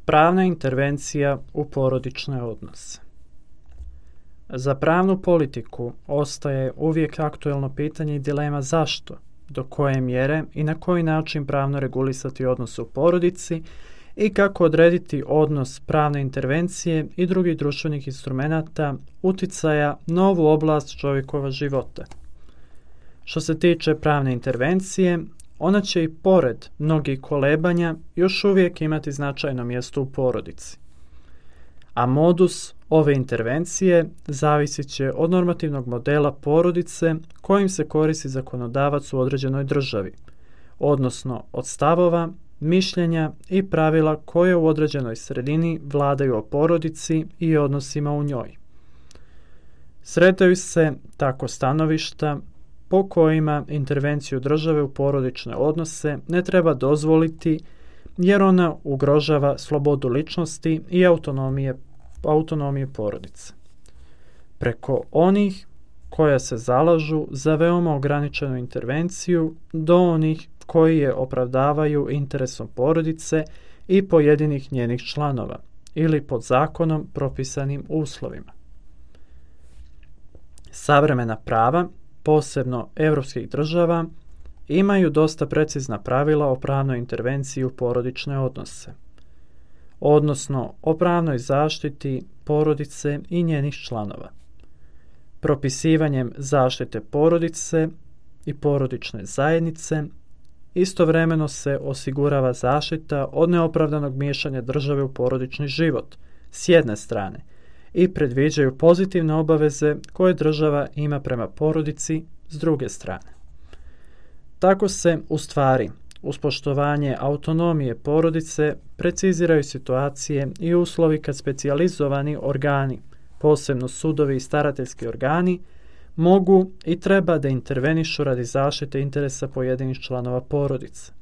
Pravna intervencija u porodične odnose. Za pravnu politiku ostaje uvijek aktuelno pitanje i dilema zašto, do koje mjere i na koji način pravno regulisati odnos u porodici i kako odrediti odnos pravne intervencije i drugih društvenih instrumenata uticaja na ovu oblast čovjekova života. Što se tiče pravne intervencije, ona će i pored mnogih kolebanja još uvijek imati značajno mjesto u porodici. A modus ove intervencije zavisit će od normativnog modela porodice kojim se koristi zakonodavac u određenoj državi, odnosno od stavova, mišljenja i pravila koje u određenoj sredini vladaju o porodici i odnosima u njoj. Sretaju se tako stanovišta po kojima intervenciju države u porodične odnose ne treba dozvoliti jer ona ugrožava slobodu ličnosti i autonomije porodice. Preko onih koja se zalažu za veoma ograničenu intervenciju do onih koji je opravdavaju interesom porodice i pojedinih njenih članova ili pod zakonom propisanim uslovima. Savremena prava, posebno europskih država, imaju dosta precizna pravila o pravnoj intervenciji u porodične odnose, odnosno o pravnoj zaštiti porodice i njenih članova. Propisivanjem zaštite porodice i porodične zajednice istovremeno se osigurava zaštita od neopravdanog miješanja države u porodični život s jedne strane i predviđaju pozitivne obaveze koje država ima prema porodici s druge strane. Tako se, u stvari, uz poštovanje autonomije porodice preciziraju situacije i uslovi kad specijalizovani organi, posebno sudovi i starateljski organi, mogu i treba da intervenišu radi zaštite interesa pojedinih članova porodice,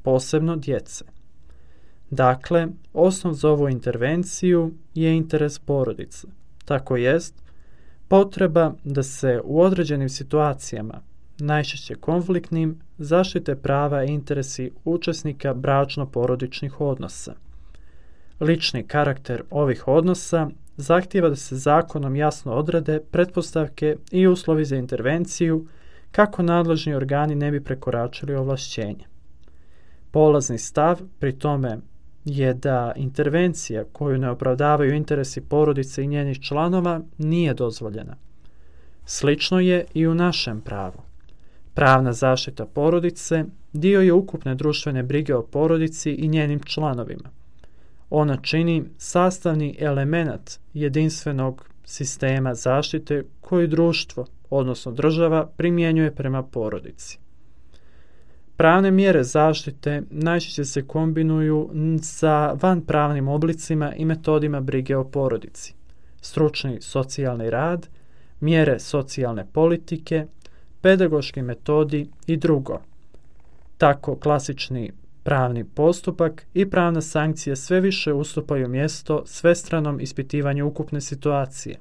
posebno djece. Dakle, osnov za ovu intervenciju je interes porodice, tako jest potreba da se u određenim situacijama, najčešće konfliktnim, zaštite prava i interesi učesnika bračno-porodičnih odnosa. Lični karakter ovih odnosa zahtijeva da se zakonom jasno odrede pretpostavke i uslovi za intervenciju kako nadležni organi ne bi prekoračili ovlašćenje. Polazni stav pri tome je da intervencija koju ne opravdavaju interesi porodice i njenih članova nije dozvoljena. Slično je i u našem pravu. Pravna zaštita porodice dio je ukupne društvene brige o porodici i njenim članovima. Ona čini sastavni element jedinstvenog sistema zaštite koji društvo, odnosno država, primjenjuje prema porodici. Pravne mjere zaštite najčešće se kombinuju sa vanpravnim oblicima i metodima brige o porodici, stručni socijalni rad, mjere socijalne politike, pedagoški metodi i drugo. Tako klasični pravni postupak i pravna sankcija sve više ustupaju mjesto svestranom ispitivanju ukupne situacije,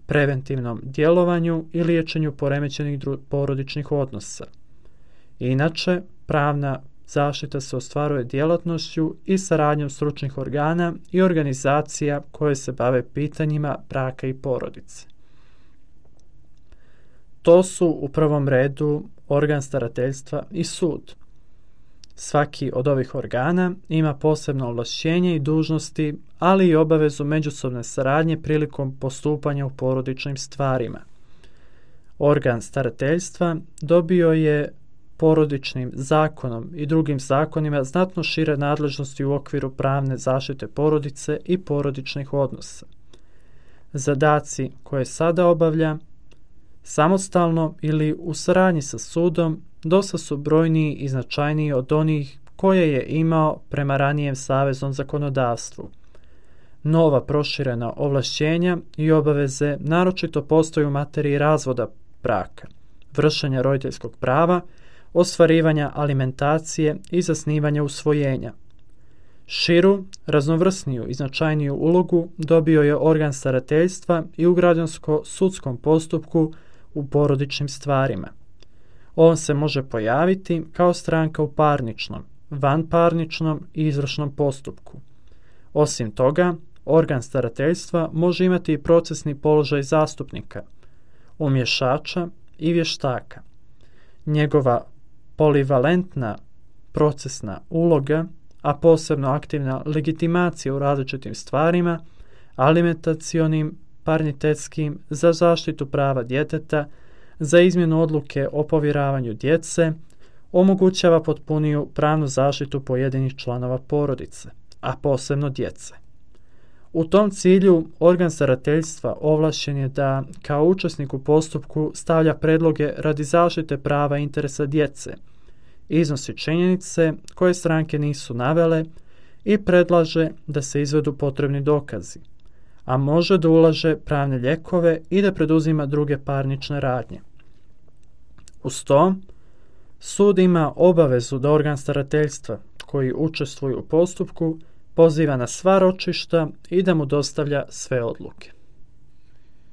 preventivnom djelovanju i liječenju poremećenih porodičnih odnosa. Inače, pravna zaštita se ostvaruje djelatnošću i saradnjom stručnih organa i organizacija koje se bave pitanjima braka i porodice. To su u prvom redu organ starateljstva i sud. Svaki od ovih organa ima posebno ovlašćenje i dužnosti, ali i obavezu međusobne saradnje prilikom postupanja u porodičnim stvarima. Organ starateljstva dobio je porodičnim zakonom i drugim zakonima znatno šire nadležnosti u okviru pravne zaštite porodice i porodičnih odnosa. Zadaci koje sada obavlja, samostalno ili u saradnji sa sudom, dosta su brojniji i značajniji od onih koje je imao prema ranijem saveznom zakonodavstvu. Nova proširena ovlašćenja i obaveze naročito postoje u materiji razvoda braka, vršenja roditeljskog prava, ostvarivanja alimentacije i zasnivanja usvojenja. Širu, raznovrsniju i značajniju ulogu dobio je organ starateljstva i u građansko-sudskom postupku u porodičnim stvarima. On se može pojaviti kao stranka u parničnom, vanparničnom i izvršnom postupku. Osim toga, organ starateljstva može imati i procesni položaj zastupnika, umješača i vještaka. Njegova polivalentna procesna uloga, a posebno aktivna legitimacija u različitim stvarima, alimentacionim, parnitetskim, za zaštitu prava djeteta, za izmjenu odluke o povjeravanju djece, omogućava potpuniju pravnu zaštitu pojedinih članova porodice, a posebno djece. U tom cilju organ starateljstva ovlašćen je da kao učesnik u postupku stavlja predloge radi zaštite prava i interesa djece, iznosi činjenice koje stranke nisu navele i predlaže da se izvedu potrebni dokazi, a može da ulaže pravne lijekove i da preduzima druge parnične radnje. Uz to, sud ima obavezu da organ starateljstva koji učestvuju u postupku poziva na sva ročišta i da mu dostavlja sve odluke.